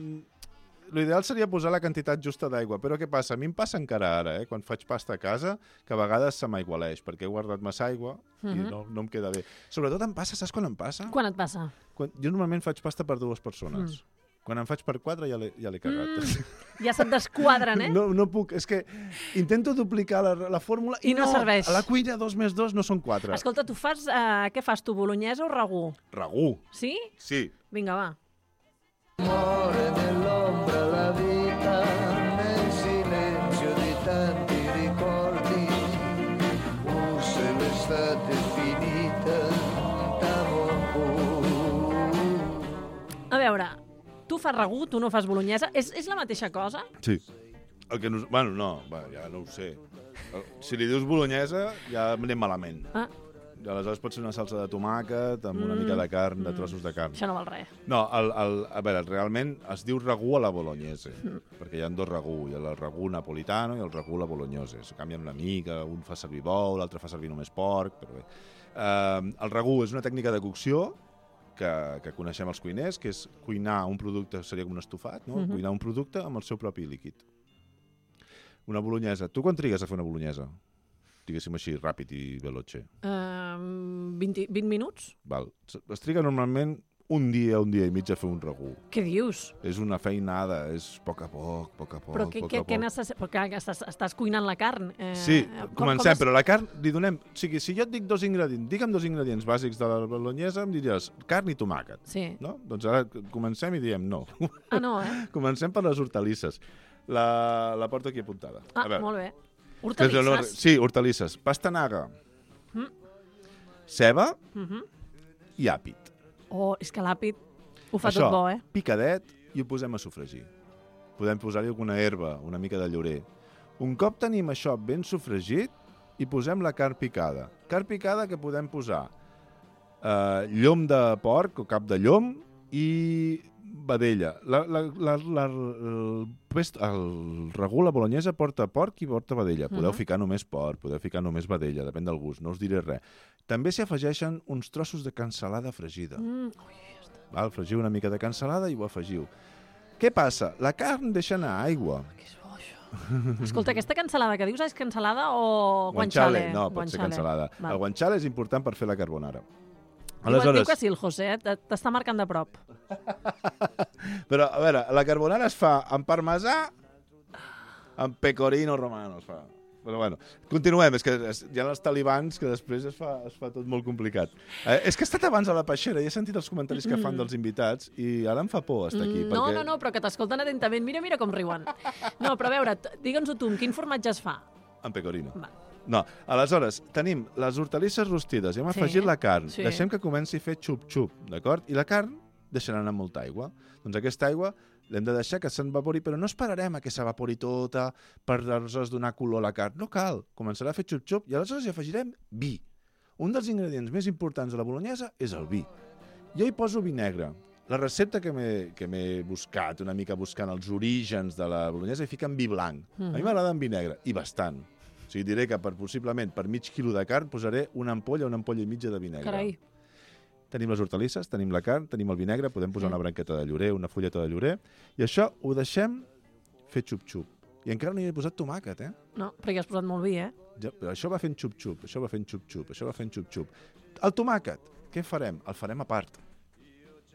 L'ideal seria posar la quantitat justa d'aigua, però què passa? A mi em passa encara ara, eh? Quan faig pasta a casa, que a vegades se m'aigualeix, perquè he guardat massa aigua uh-huh. i no, no em queda bé. Sobretot em passa, saps quan em passa? Quan et passa? Quan, jo normalment faig pasta per dues persones. Mm. Quan em faig per quatre ja l'he ja l'he cagat. Mm, ja se't desquadren, eh? No, no puc, és que intento duplicar la, la fórmula I no serveix. A la cuina dos més dos no són quatre. Escolta, tu fas... Uh, què fas, tu, bolognesa o ragú? Ragú. Sí? Sí. Vinga, va. Muore nell'ombra la vita nel silenzio di tanti ricordi. Oh, se l'estate è finita, a veure, tu fas ragú, tu no fas bolognesa. És, és la mateixa cosa? Sí. El que nos... Bueno, no, va, ja no ho sé. Si li dius bolognesa, ja anem malament. Ah. Aleshores pot ser una salsa de tomàquet amb una Mm. mica de carn, de Mm. trossos de carn. Això no val res. No, el, el, a veure, realment es diu ragú a la bolognese, mm. perquè hi ha dos ragú, hi ha el ragú napolitano i el ragú a la bolognese. Es canvien una mica, un fa servir bou, l'altre fa servir només porc, però bé. Uh, el ragú és una tècnica de cocció que, que coneixem els cuiners, que és cuinar un producte, seria com un estofat, no? Mm-hmm. Cuinar un producte amb el seu propi líquid. Una bolognesa. Tu quan trigues a fer una bolognesa? Diguéssim així, ràpid i veloce. Uh, vint, vint minuts? Val. Es triga normalment un dia, un dia i mig a fer un ragú. Què dius? És una feinada, és a poc a poc, a poc a poc, Però què, poc què, a què poc. necessita? Perquè estàs, estàs cuinant la carn. Eh, Sí, com, comencem, com es... però la carn li donem... O sigui, si jo et dic dos ingredients, digue'm dos ingredients bàsics de la bolognesa, em diries carn i tomàquet. Sí. No? Doncs ara comencem i diem no. Ah, no, eh? Comencem per les hortalisses. La, la porto aquí apuntada. Ah, a veure. molt bé. Hortalisses? Sí, hortalisses. Pastanaga, Mm. ceba Mm-hmm. i àpid. Oh, és que l'àpid ho fa Això, tot bo, eh? picadet, i ho posem a sofregir. Podem posar-hi alguna herba, una mica de llorer. Un cop tenim això ben sofregit, hi posem la carn picada. Carn picada que podem posar eh, llom de porc o cap de llom i vedella. La, la, la, la, el, pest, el ragú, la bolognesa, porta porc i porta vedella. Podeu Mhm. ficar només porc, podeu ficar només vedella, depèn del gust, no us diré res. També s'hi afegeixen uns trossos de cansalada fregida. Mm. Val? Fregiu una mica de cansalada i ho afegiu. Què passa? La carn deixa anar aigua. Escolta, aquesta cansalada que dius és cansalada o guanciale? No, pot ser cansalada. Val. El guanciale és important per fer la carbonara. Diu, Aleshores... diu que sí, el José, eh? T'està marcant de prop. Però, a veure, la carbonara es fa amb parmesà, amb pecorino romano es fa. Però bueno, continuem, és que hi ha els talibans que després es fa, es fa tot molt complicat. Eh, és que he estat abans a la peixera i he sentit els comentaris que fan dels invitats i ara em fa por estar aquí. Mm, no, perquè... no, no, però que t'escolten atentament. Mira, mira com riuen. No, però a veure, digue'ns-ho tu, amb quin formatge es fa? Amb pecorino. Va. No, aleshores, tenim les hortalisses rostides i hem Sí, afegit la carn. sí. Deixem que comenci a fer xup-xup, d'acord? I la carn deixarà anar molta aigua. Doncs aquesta aigua l'hem de deixar que s'evapori, però no esperarem a que s'evapori tota per aleshores donar color a la carn. No cal. Començarà a fer xup-xup i aleshores hi afegirem vi. Un dels ingredients més importants de la bolognesa és el vi. Jo hi poso vi negre. La recepta que m'he que m'he buscat, una mica buscant els orígens de la bolognesa, hi fiquen vi blanc. Mhm. A mi m'agrada amb vi negre, i bastant. O sigui, diré que per, possiblement per mig quilo de carn posaré una ampolla, una ampolla i mitja de vi negre. Carai. Tenim les hortalisses, tenim la carn, tenim el vi negre, podem posar Mm. una branqueta de llorer, una fulleta de llorer, i això ho deixem fer xup-xup. I encara no hi he posat tomàquet, eh? No, però hi has posat molt vi, eh? Ja, però això va fent xup-xup, això va fent xup-xup, això va fent xup-xup. El tomàquet, què farem? El farem a part.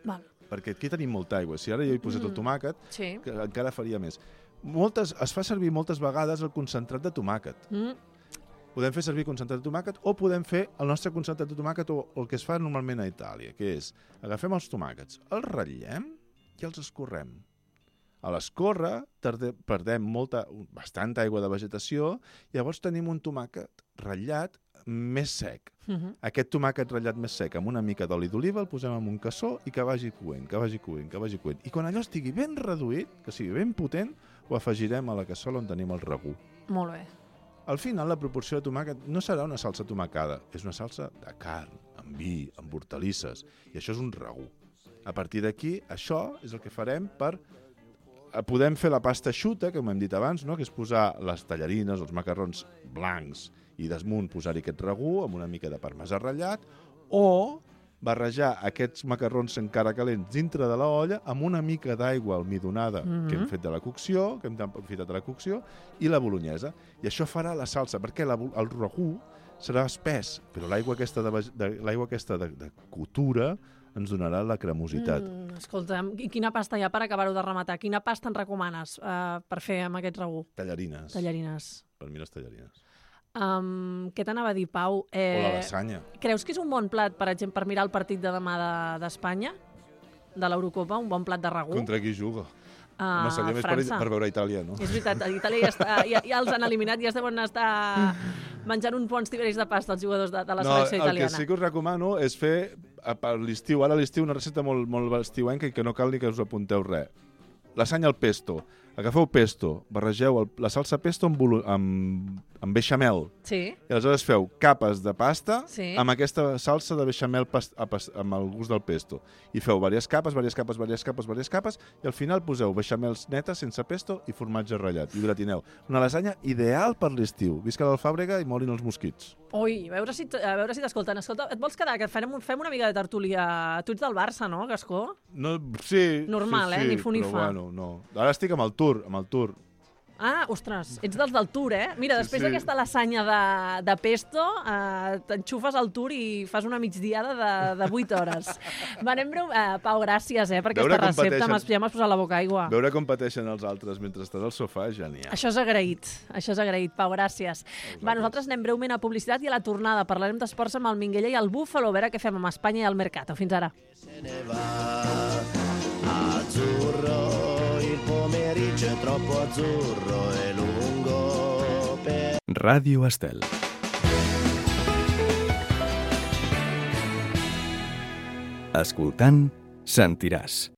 Val. Perquè aquí tenim molta aigua. Si ara jo he posat Mm. el tomàquet, Sí. que encara faria més. Moltes, es fa servir moltes vegades el concentrat de tomàquet. Mm. Podem fer servir concentrat de tomàquet o podem fer el nostre concentrat de tomàquet o el que es fa normalment a Itàlia, que és agafem els tomàquets, els ratllem i els escorrem. A l'escórrer tarde, perdem molta, bastanta aigua de vegetació, llavors tenim un tomàquet ratllat més sec. Mhm. Aquest tomàquet ratllat més sec amb una mica d'oli d'oliva el posem en un cassó i que vagi coent, que vagi coent, que vagi coent. I quan allò estigui ben reduït, que sigui ben potent, ho afegirem a la cassola on tenim el ragú. Molt bé. Al final, la proporció de tomàquet no serà una salsa tomacada, és una salsa de carn, amb vi, amb hortalisses, i això és un ragú. A partir d'aquí, això és el que farem per... Podem fer la pasta eixuta, com hem dit abans, no? Que és posar les tallarines, els macarrons blancs, i desmunt posar-hi aquest ragú amb una mica de parmesà ratllat, o barrejar aquests macarrons encara calents dintre de l'olla amb una mica d'aigua almidonada Mhm. que hem fet de la cocció, que hem aprofitat de la cocció, i la bolognesa. I això farà la salsa, perquè la, el ragú serà espès, però l'aigua aquesta, de, de, l'aigua aquesta de, de cotura ens donarà la cremositat. Mm, escolta, i quina pasta hi ha per acabar-ho de rematar? Quina pasta ens recomanes uh, per fer amb aquest regú? Tallarines. Tallarines. Per mi les tallarines. Um, què t'anava a dir, Pau? Eh, O la lasanya. Creus que és un bon plat, per exemple, per mirar el partit de demà d'Espanya, de, de l'Eurocopa, un bon plat de regú? Contra qui juga? Uh, no, seria més per, França. per veure Itàlia, no? És veritat, a Itàlia ja, està, ja, ja els han eliminat, ja es deuen estar menjant uns bons tiberis de pasta els jugadors de, de la no, selecció italiana. El que sí que us recomano és fer a- per l'estiu, ara a l'estiu, una recepta molt, molt estiuenca i que no cal ni que us apunteu res. Lasanya al pesto. Agafeu pesto, barregeu el, la salsa pesto amb, volu- amb, amb beixamel. Sí. I aleshores feu capes de pasta Sí. amb aquesta salsa de beixamel pas, a, pas, amb el gust del pesto. I feu diverses capes, diverses capes, diverses capes, diverses capes, i al final poseu beixamels netes sense pesto i formatge ratllat. I ho gratineu. Una lasanya ideal per l'estiu. Visca l'alfàbrega i morin els mosquits. Ui, a veure si, t- a veure si t'escolten. Escolta, et vols quedar? Que fem, un- fem una mica de tertúlia. Tu ets del Barça, no, Gascó? No, sí, Normal, sí, eh? sí, Ni fu ni però fa. bueno, no. Ara estic amb el Tour, amb el Tour. Ah, ostres, ets dels del Tour, eh? Mira, Sí, després sí. d'aquesta lasanya de, de pesto, eh, t'enxufes al Tour i fas una migdiada de, de vuit hores. Va, anem breu. Eh, Pau, gràcies, eh, per Veure aquesta com recepta. pateixen. M'has ja m'has posat la boca aigua. Veure com pateixen els altres mentre estàs al sofà és genial. Això és agraït, això és agraït, Pau, gràcies. Va, nosaltres anem breument a publicitat i a la tornada parlarem d'esports amb el Minguella i el Búfalo, a veure què fem amb Espanya i el Mercato. Fins ara. Azzurro, il pomeriggio è troppo azzurro e lungo per... Ràdio Estel. Escoltant, sentiràs.